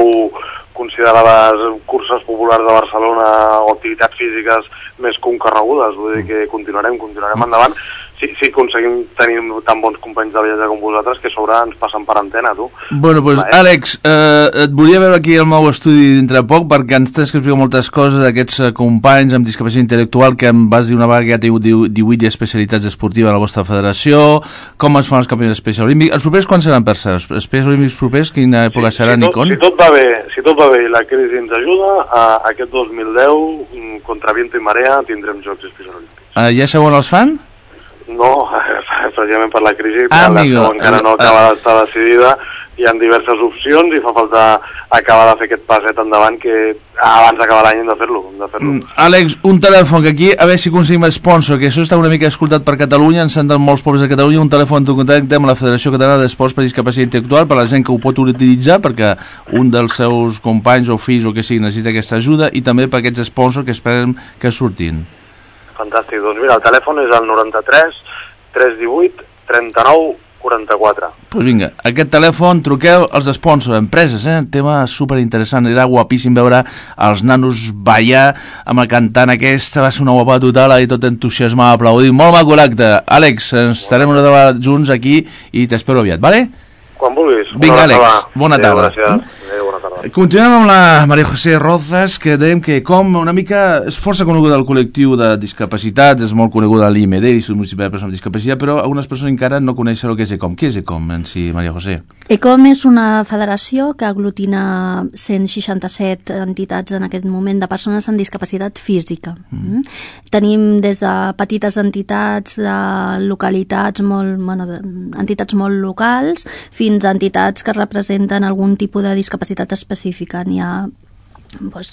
considerades curses populars de Barcelona o activitats físiques més concorregudes. Vull dir que continuarem endavant. Sí, aconseguim tenir tan bons companys de viatge com vosaltres que a sobre ens passen per antena, tu. Bueno, doncs, Àlex, et volia veure aquí al meu estudi dintre poc perquè ens tens que explicar moltes coses d'aquests companys amb discapacitat intel·lectual que em vas dir una vegada que ja teniu 18 especialitats esportives a la vostra federació, com es fan els campionats Special Olímpics. Els propers quan seran per ser? Els Special Olímpics propers, quina època seran i com? Si tot va bé i la crisi ens ajuda, aquest 2010, contra viento i marea, tindrem Jocs Special Olímpics. Ja sabeu on els fan? No, precisament per la crisi, encara no acaba d'estar decidida, hi ha diverses opcions i fa falta acabar de fer aquest passet endavant que abans d'acabar l'any hem de fer-lo. Àlex, un telèfon que aquí, a veure si aconseguim sponsor, que això està una mica escoltat per Catalunya, ens senten molts pobles de Catalunya, un telèfon de contacte amb la Federació Catalana d'Esports per Discapacitat Intel·lectual per a la gent que ho pot utilitzar perquè un dels seus companys o fills o que sigui necessita aquesta ajuda i també per aquests sponsors que esperem que surtin. Fantàstic, doncs mira, el telèfon és el 93 318 39 44. Doncs vinga, aquest telèfon, truqueu als sponsors, empreses, tema superinteressant, era guapíssim veure els nanos ballar amb la cantant aquesta, va ser una guapa total i tot entusiasmat, aplaudint, molt maco l'acte. Àlex, ens estarem una vegada junts aquí i t'espero aviat, vale? Quan vulguis. Vinga, Àlex, bona tarda. Gràcies. Bona tarda. Continuem amb la Maria José Rozas, que dèiem que com una mica és força coneguda al col·lectiu de discapacitats, és molt coneguda a l'IMD, l'Institut Municipal de Persones amb Discapacitat, però algunes persones encara no coneixen el que és ECOM. Què és ECOM en si, Maria José? ECOM és una federació que aglutina 167 entitats en aquest moment de persones amb discapacitat física. Tenim des de petites entitats de localitats entitats molt locals fins a entitats que representen algun tipus de discapacitat específica. N'hi ha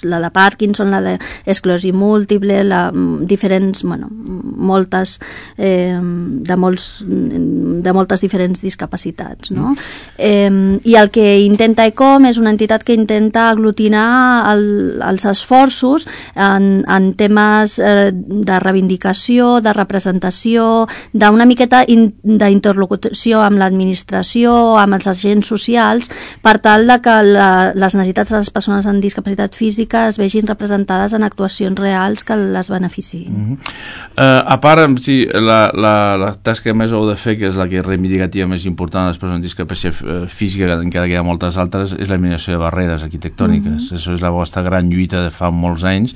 la de Parkinson, la d'esclerosi múltiple, diferents, moltes de moltes diferents discapacitats, no? I el que intenta ECOM és una entitat que intenta aglutinar els esforços en temes de reivindicació, de representació, d'una miqueta d'interlocució amb l'administració, amb els agents socials, per tal de que les necessitats de les persones amb discapacitat física es vegin representades en actuacions reals que les beneficiïn. A part, sí, la tasca més heu de fer, que és la que és reivindicativa més important de les persones amb discapacitat física, encara que hi ha moltes altres, és l'eliminació de barreres arquitectòniques. Això és la vostra gran lluita de fa molts anys.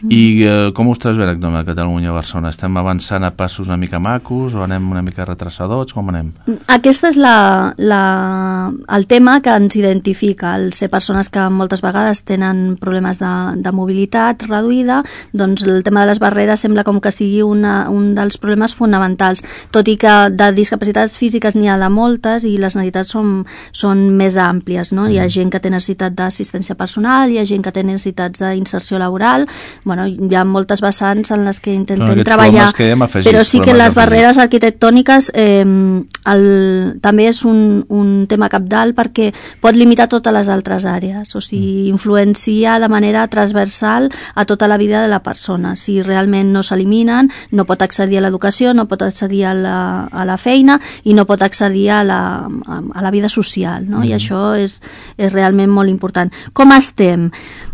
I com ho estàs veient a Catalunya, a Barcelona? Estem avançant a passos una mica macos o anem una mica retrasadors? Com anem? Aquest és el tema que ens identifica, el ser persones que moltes vegades tenen problemes de mobilitat reduïda, doncs el tema de les barreres sembla com que sigui un dels problemes fonamentals, tot i que de discapacitats físiques n'hi ha de moltes i les necessitats són més àmplies, no? Hi ha gent que té necessitat d'assistència personal, hi ha gent que té necessitats d'inserció laboral, bueno, hi ha moltes vessants en les que intentem aquests treballar, problemes que hem afegit, però sí que problemes les afegits. barreres arquitectòniques també és un tema cabdal perquè pot limitar totes les altres àrees, o sigui, influencia de manera transversal a tota la vida de la persona. Si realment no s'eliminen, no pot accedir a l'educació, no pot accedir a la feina i no pot accedir a la vida social, no? I això és realment molt important. Com estem?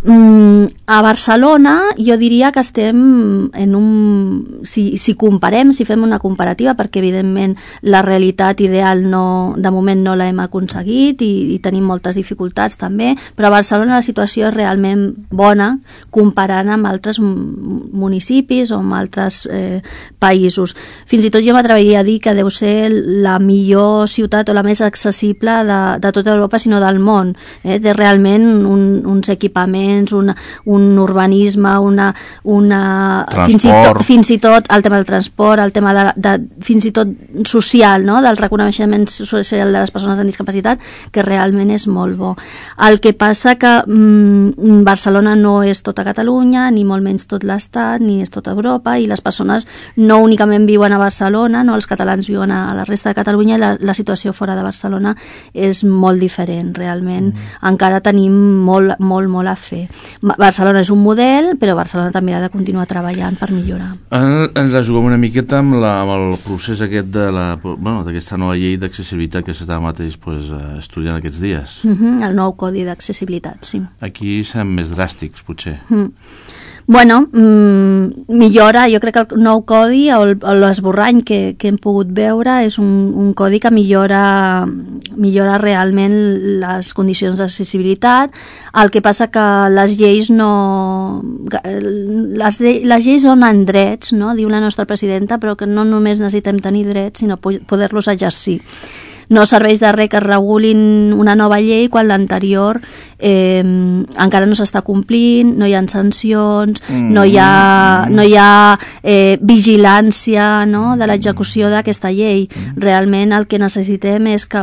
A Barcelona jo diria que estem en un... Si comparem, si fem una comparativa, perquè evidentment la realitat ideal de moment no l'hem aconseguit i tenim moltes dificultats també, però a Barcelona la situació és realment bona comparant amb altres municipis o amb altres països. Fins i tot jo m'atreviria a dir que deu ser la millor ciutat o la més accessible de tota Europa, sinó del món. Té realment uns equipaments, un urbanisme, fins i tot el tema del transport, el tema fins i tot social, no? Del reconeixement social de les persones amb discapacitat, que realment és molt bo. El que passa que Barcelona no és tota Catalunya, ni molt menys tot l'Estat, ni és tota Europa, i les persones no únicament viuen a Barcelona, no, els catalans viuen a la resta de Catalunya, i la situació fora de Barcelona és molt diferent, realment. Encara tenim molt a fer. Barcelona és un model, però Barcelona també ha de continuar treballant per millorar. Ens la juguem una miqueta amb el procés aquest d'aquesta nova llei d'accessibilitat que s'està mateix estudiant aquests dies. El nou codi d'accessibilitat, sí. Aquí serem més dràstics, potser. Bueno, millora, jo crec que el nou codi o l'esborrany que hem pogut veure és un codi que millora realment les condicions d'accessibilitat. El que passa que les lleis les lleis donen drets, no? Diu la nostra presidenta, però que no només necessitem tenir drets, sinó poder-los exercir. No serveix de res que regulin una nova llei quan l'anterior encara no s'està complint, no hi ha sancions, no hi ha vigilància, no?, de l'execució d'aquesta llei. Realment el que necessitem és que,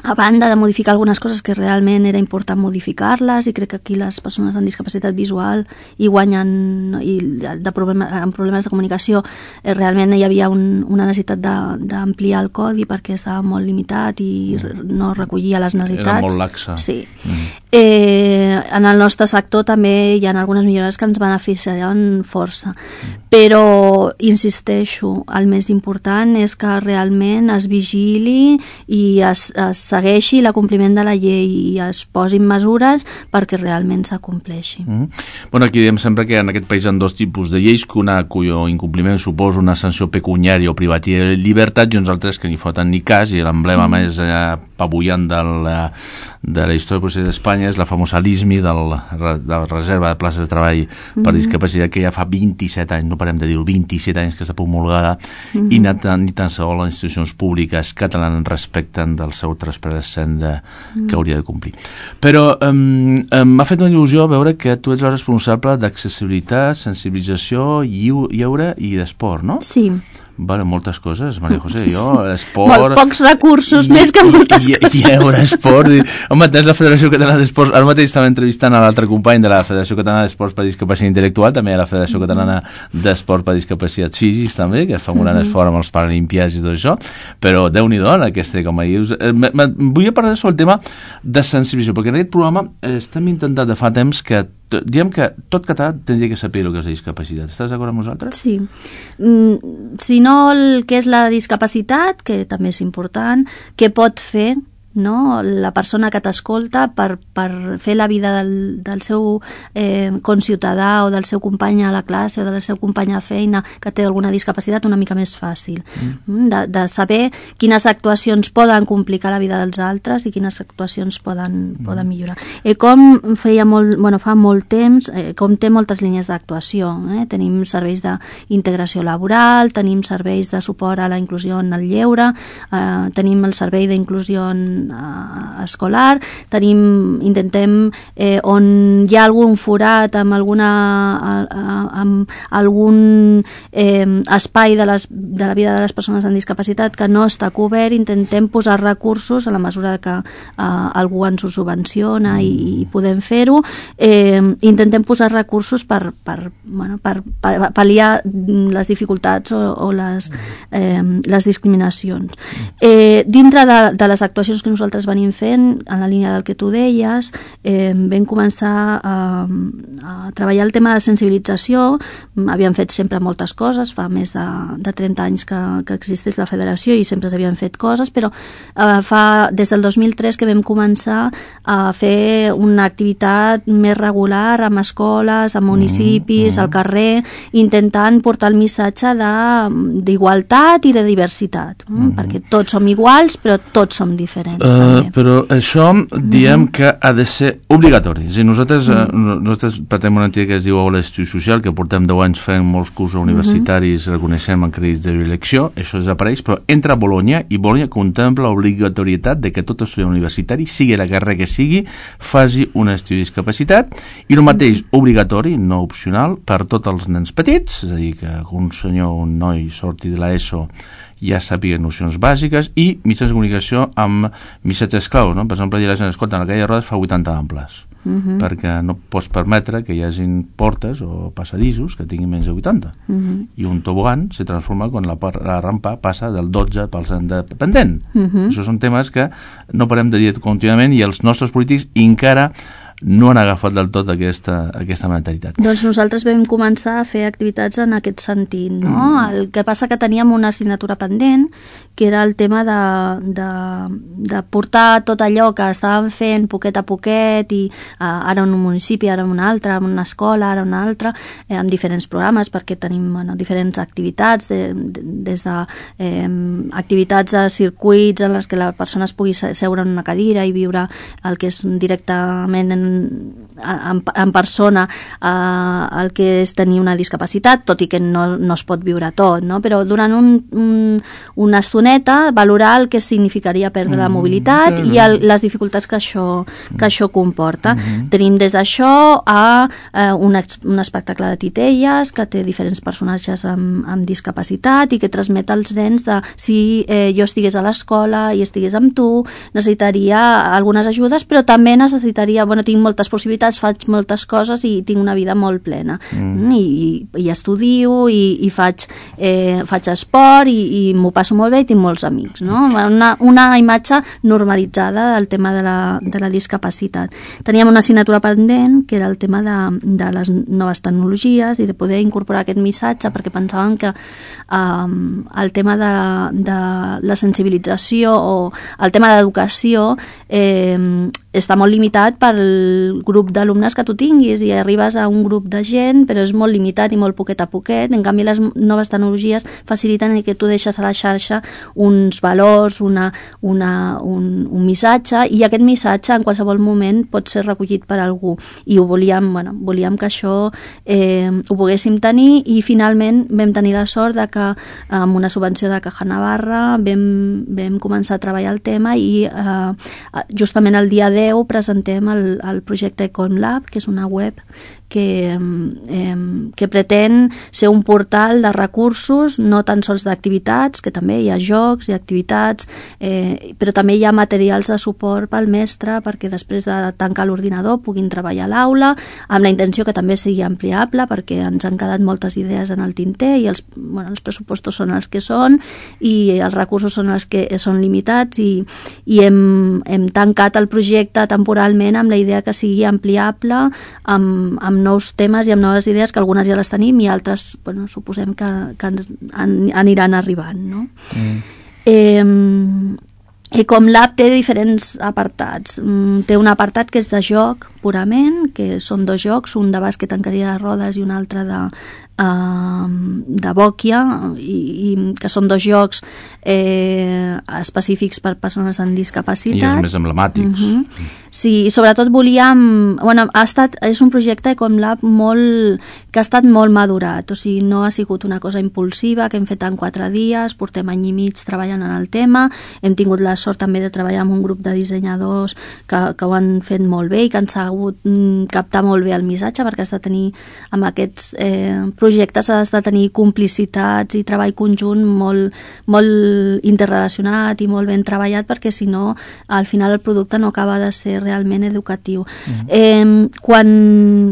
a banda de modificar algunes coses que realment era important modificar-les, i crec que aquí les persones amb discapacitat visual hi guanyen, amb problemes de comunicació, realment hi havia una necessitat d'ampliar el codi perquè estava molt limitat i no recollia les necessitats. Era molt laxa. Sí. En el nostre sector també hi ha algunes millores que ens beneficiaran força, però insisteixo, el més important és que realment es vigili i es segueixi l'acompliment de la llei i es posin mesures perquè realment s'acompleixi. Bueno, aquí diem sempre que en aquest país hi ha dos tipus de lleis, cuyo incompliment suposa una sanció pecuniària o privativa de llibertat, i uns altres que ni foten ni cas, i l'emblema més apabullant de la història procés d'Espanya és la famosa LISMI, de la Reserva de Places de Treball per Discapacitat, que ja fa 27 anys, no parem de dir-ho, 27 anys que està promulgada, i ni tan sols les institucions públiques catalanes respecten del seu 3% que hauria de complir. Però m'ha fet una il·lusió veure que tu ets la responsable d'accessibilitat, sensibilització, lleure i d'esport, no? Sí. Vale, moltes coses, Maria José. Jo, l'esport... Molt pocs recursos, més que moltes coses. Lleure, esport... Home, tens la Federació Catalana d'Esports... Ara mateix estava entrevistant a l'altre company de la Federació Catalana d'Esports per Discapacitat Intel·lectual, també a la Federació Catalana d'Esport per Discapacitat Físics, també, que es fa un gran esforç amb els Paralimpiats i tot això, però Déu-n'hi-do, aquesta, com a dius... Vull parlar sobre el tema de sensibilització, perquè en aquest programa estem intentant de fa temps que diem que tot català tindria que saber el que és la discapacitat. Estàs d'acord amb nosaltres? Sí. Si no el que és la discapacitat, que també és important, què pot fer, no?, la persona que t'escolta per fer la vida del seu conciutadà o del seu company a la classe o del seu company a feina que té alguna discapacitat una mica més fàcil. De saber quines actuacions poden complicar la vida dels altres i quines actuacions poden millorar. Com fa molt temps, com té moltes línies d'actuació. Tenim serveis d'integració laboral, tenim serveis de suport a la inclusió en el lleure, tenim el servei d'inclusió en escolar, intentem on hi ha algun forat amb algun espai de la vida de les persones amb discapacitat que no està cobert, intentem posar recursos a la mesura que algú ens ho subvenciona i podem fer-ho, intentem posar recursos per pal·liar les dificultats o les discriminacions. Dintre de les actuacions que nosaltres venim fent, en la línia del que tu deies, vam començar a treballar el tema de sensibilització. Havíem fet sempre moltes coses, fa més de 30 anys que existeix la federació i sempre s'havien fet coses, però des del 2003 que vam començar a fer una activitat més regular amb escoles, amb municipis, al carrer, intentant portar el missatge d'igualtat i de diversitat, perquè tots som iguals però tots som diferents també. Però això diem que ha de ser obligatori. Nosaltres patem una entitat que es diu Aula d'Estudi Social, que portem 10 anys fent molts cursos universitaris, reconeixem en crèdits de elecció, això desapareix, però entra a Bologna i Bologna contempla l'obligatorietat de que tot estudiant universitari, sigui la carrera que sigui, faci un estudi de discapacitat, i el mateix obligatori, no opcional, per tots els nens petits, és a dir, que un senyor, un noi sorti de l'ESO ja sàpiga nocions bàsiques, i mitjans de comunicació amb missatges claus, no? Per exemple, la gent escolta, en la calle de Rodes fa 80 amples, perquè no pots permetre que hi hagin portes o passadissos que tinguin menys de 80, i un tobogan se transforma quan la rampa passa del 12% de pendent. Això són temes que no parem de dir contínuament, i els nostres polítics encara no han agafat del tot aquesta mentalitat. Doncs nosaltres vam començar a fer activitats en aquest sentit, no? El que passa que teníem una assignatura pendent, que era el tema de portar tot allò que estàvem fent poquet a poquet, i ara en un municipi, ara en un altre, en una escola, ara en una altra, amb diferents programes, perquè tenim diferents activitats, des de activitats de circuits en les que la persona es pugui seure en una cadira i viure el que és directament en persona el que és tenir una discapacitat, tot i que no es pot viure tot, no? Però durant una estoneta valorar el que significaria perdre la mobilitat i les dificultats que això comporta. Tenim des d'això a un espectacle de titelles que té diferents personatges amb discapacitat i que transmet als nens de si jo estigués a l'escola i estigués amb tu, necessitaria algunes ajudes, però també necessitaria, tinc moltes possibilitats, faig moltes coses i tinc una vida molt plena. I estudio i faig esport i m'ho passo molt bé i tinc molts amics, no? Una imatge normalitzada del tema de la discapacitat. Teníem una assignatura pendent que era el tema de les noves tecnologies i de poder incorporar aquest missatge, perquè pensàvem que el tema de la sensibilització o el tema d'educació està molt limitat pel grup d'alumnes que tu tinguis, i arribes a un grup de gent però és molt limitat i molt poquet a poquet. En canvi, les noves tecnologies faciliten que tu deixes a la xarxa uns valors, un missatge, i aquest missatge en qualsevol moment pot ser recollit per algú, i volíem que això ho poguéssim tenir, i finalment vam tenir la sort de que amb una subvenció de Caja Navarra vam començar a treballar el tema, i justament el dia 10 presentem el projecte EconLab, que és una web que pretén ser un portal de recursos, no tan sols d'activitats, que també hi ha jocs i activitats, però també hi ha materials de suport pel mestre perquè després de tancar l'ordinador puguin treballar a l'aula, amb la intenció que també sigui ampliable, perquè ens han quedat moltes idees en el tinter i els pressupostos són els que són i els recursos són els que són limitats, i hem tancat el projecte temporalment amb la idea que sigui ampliable amb nous temes i amb noves idees, que algunes ja les tenim i altres suposem que aniran arribant, no? EconLab té diferents apartats. Té un apartat que és de joc purament, que són 2 jocs, un de bàsquet en cadira de rodes i un altre de Bòquia, i que són 2 jocs específics per persones amb discapacitat. I els més emblemàtics. Sí, i sobretot volíem... Bueno, és un projecte com l'App que ha estat molt madurat, o sigui, no ha sigut una cosa impulsiva que hem fet en 4 dies, portem any i mig treballant en el tema, hem tingut la sort també de treballar amb un grup de dissenyadors que ho han fet molt bé i que han sabut captar molt bé el missatge, perquè has de tenir, amb aquests projectes has de tenir complicitats i treball conjunt molt interrelacionat i molt ben treballat, perquè si no, al final el producte no acaba de ser realment educatiu. Quan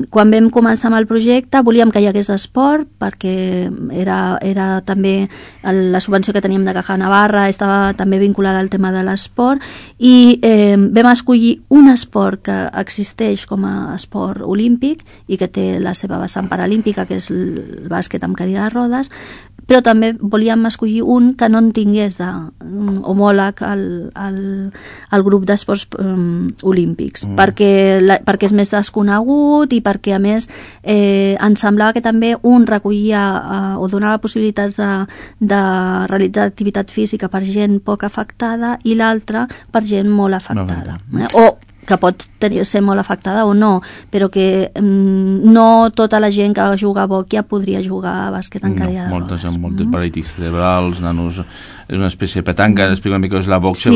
vam començar amb el projecte volíem que hi hagués esport, perquè era també la subvenció que teníem de Caja Navarra estava també vinculada al tema de l'esport, i vam escollir un esport que existeix com a esport olímpic i que té la seva vessant paralímpica, que és el bàsquet amb cadira de rodes, però també volíem escollir un que no en tingués homòleg al grup d'esports olímpics, perquè és més desconegut i perquè a més ens semblava que també un recollia o donava possibilitats de realitzar activitat física per gent poc afectada i l'altre per gent molt afectada, o que pot ser molt afectada o no, però que no tota la gent que juga a Bòquia podria jugar a bàsquet en cadira de rodes. Moltes amb moltes paràlisi cerebrals, nanos... És una espècie de petanca, explica una mica què és la bòquia.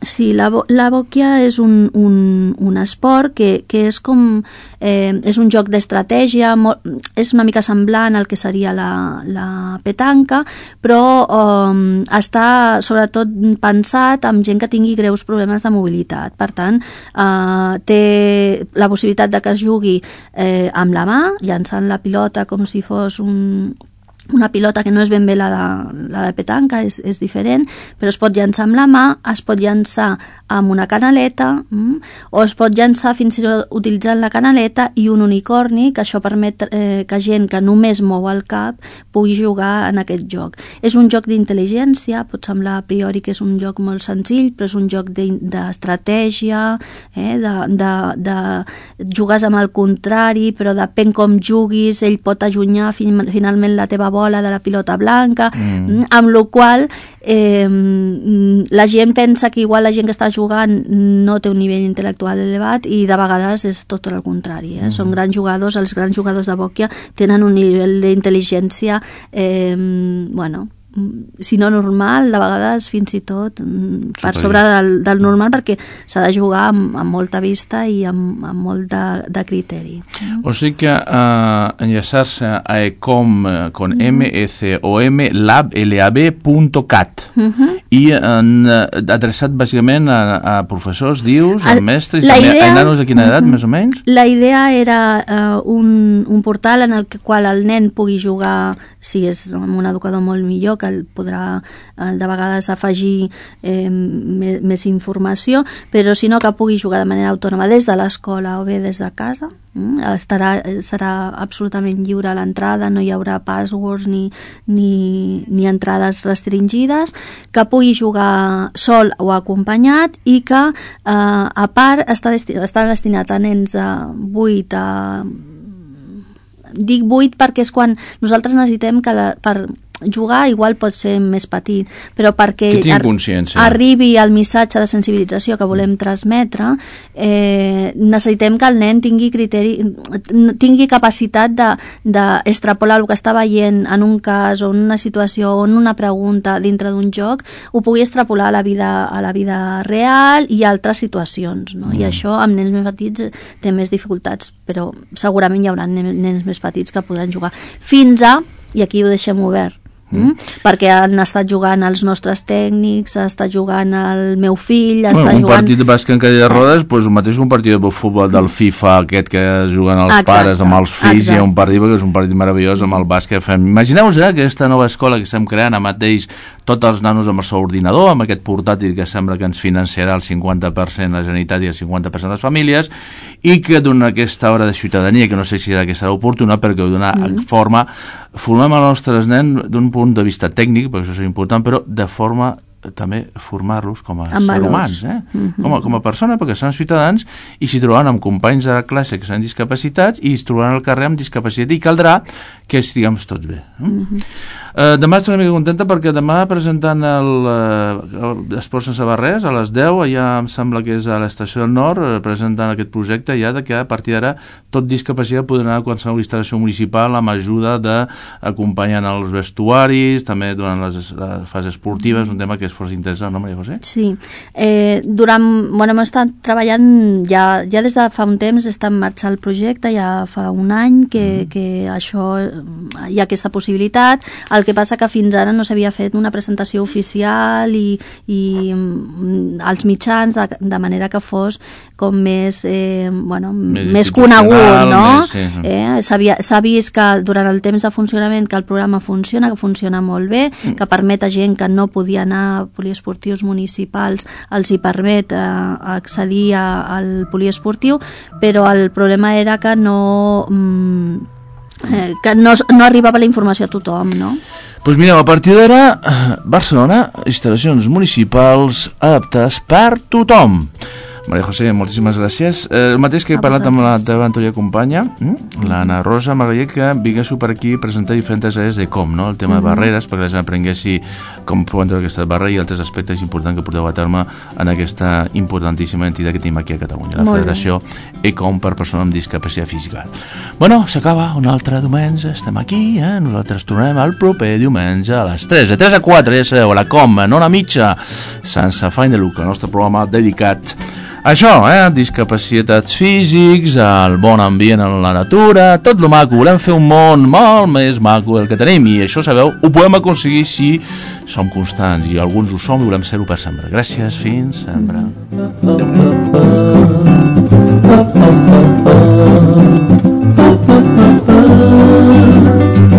Sí, la bòquia és un esport que és com... és un joc d'estratègia, és una mica semblant al que seria la petanca, però està sobretot pensat amb gent que tingui greus problemes de mobilitat. Per tant, té la possibilitat de que es jugui amb la mà, llançant la pilota com si fos una pilota que no és ben bé la de petanca, és diferent, però es pot llançar amb la mà, es pot llançar amb una canaleta, o es pot llançar fins i tot utilitzant la canaleta i un unicorni, que això permet que gent que només mou el cap pugui jugar en aquest joc. És un joc d'intel·ligència, pot semblar a priori que és un joc molt senzill, però és un joc d'estratègia, de jugues amb el contrari, però depèn com juguis, ell pot allunyar finalment la teva bola de la pilota blanca, amb la qual la gent pensa que igual la gent que està jugant no té un nivell intel·lectual elevat i de vegades és tot el contrari. Són grans jugadors, els grans jugadors de Bòquia tenen un nivell d'intel·ligència si no normal, de vegades fins i tot per sobre del normal, perquè s'ha de jugar amb molta vista i amb molt de criteri. O sigui que enllaçar-se a ecom con MECOM lab.cat i adreçat bàsicament a professors, dius, a mestres, i també a nanos de quina edat, més o menys? La idea era un portal en el qual el nen pugui jugar, si és amb un educador molt millor, que el podrà de vegades afegir més informació, però si no que pugui jugar de manera autònoma des de l'escola o bé des de casa. Serà absolutament lliure a l'entrada, no hi haurà passwords ni entrades restringides, que pugui jugar sol o acompanyat i que a part està destinat a nens de 8 a... Dic 8 perquè és quan nosaltres necessitem que per jugar igual pot ser més petit, però perquè arribi el missatge de sensibilització que volem transmetre, necessitem que el nen tingui capacitat d'extrapolar el que està veient en un cas o en una situació o en una pregunta dintre d'un joc, ho pugui extrapolar a la vida real i a altres situacions, no? I això amb nens més petits té més dificultats, però segurament hi haurà nens més petits que podran jugar fins a, i aquí ho deixem obert, perquè han estat jugant els nostres tècnics, ha estat jugant el meu fill, un partit de bàsquet en cadira de rodes, doncs el mateix que un partit de futbol del FIFA aquest que juguen els pares amb els fills, i un partit que és un partit meravellós amb el bàsquet. Imagineu-vos aquesta nova escola que estem creant, amb mateix tots els nanos amb el seu ordinador, amb aquest portàtil que sembla que ens financiarà el 50% la Generalitat i el 50% les famílies, i que dona aquesta hora de ciutadania, que no sé si serà oportuna, perquè dona formem els nostres nens d'un punt de vista tècnic, perquè això és important, però de forma també formar-los com a Amb ser valors. humans, com a persona, perquè són ciutadans i s'hi trobaran amb companys de classe que seran discapacitats i es trobaran al carrer amb discapacitat i caldrà que estiguem tots bé. Demà estaré una mica contenta perquè demà presentant l'Esport sense barrers a les 10, allà em sembla que és a l'Estació del Nord, presentant aquest projecte ja de que a partir d'ara tot discapacitat podrà anar a qualsevol instal·lació municipal amb ajuda d'acompanyant els vestuaris, també durant les fases esportives, un tema que és força interessant, no, Maria José? Sí. Hem estat treballant ja des de fa un temps, està en marxa el projecte, ja fa un any que això hi ha aquesta possibilitat. El que passa que fins ara no s'havia fet una presentació oficial i als mitjans de manera que fos com més conegut, no? S'ha vist que durant el temps de funcionament que el programa funciona, que funciona molt bé, que permet a gent que no podia anar a poliesportius municipals, els hi permet accedir al poliesportiu, però el problema era que no arribava la informació a tothom, no? Doncs mireu, a partir d'ara, Barcelona, instal·lacions municipals adaptades per tothom. Maria José, moltíssimes gràcies. El mateix que he parlat amb la teva anterior companya, l'Anna Rosa, m'agradaria que vinguéssiu per aquí a presentar diferents àrees de com, no? El tema de barreres, perquè la gent aprenguessi com podeu entrar aquesta barrera i altres aspectes importants que porteu a terme en aquesta importantíssima entitat que tenim aquí a Catalunya, la Federació ECOM per persones amb discapacitat física. Bueno, s'acaba un altre diumenge, estem aquí, nosaltres tornem el proper diumenge a les 3, de 3 a 4, ja sabeu, a la COM, en hora mitja, sense afany de lucre, el nostre programa dedicat això, discapacitats físics, el bon ambient en la natura, tot lo maco, volem fer un món molt més maco del que tenim i això, sabeu, ho podem aconseguir si som constants i alguns ho som i volem ser-ho per sempre. Gràcies, fins sempre. Adéu.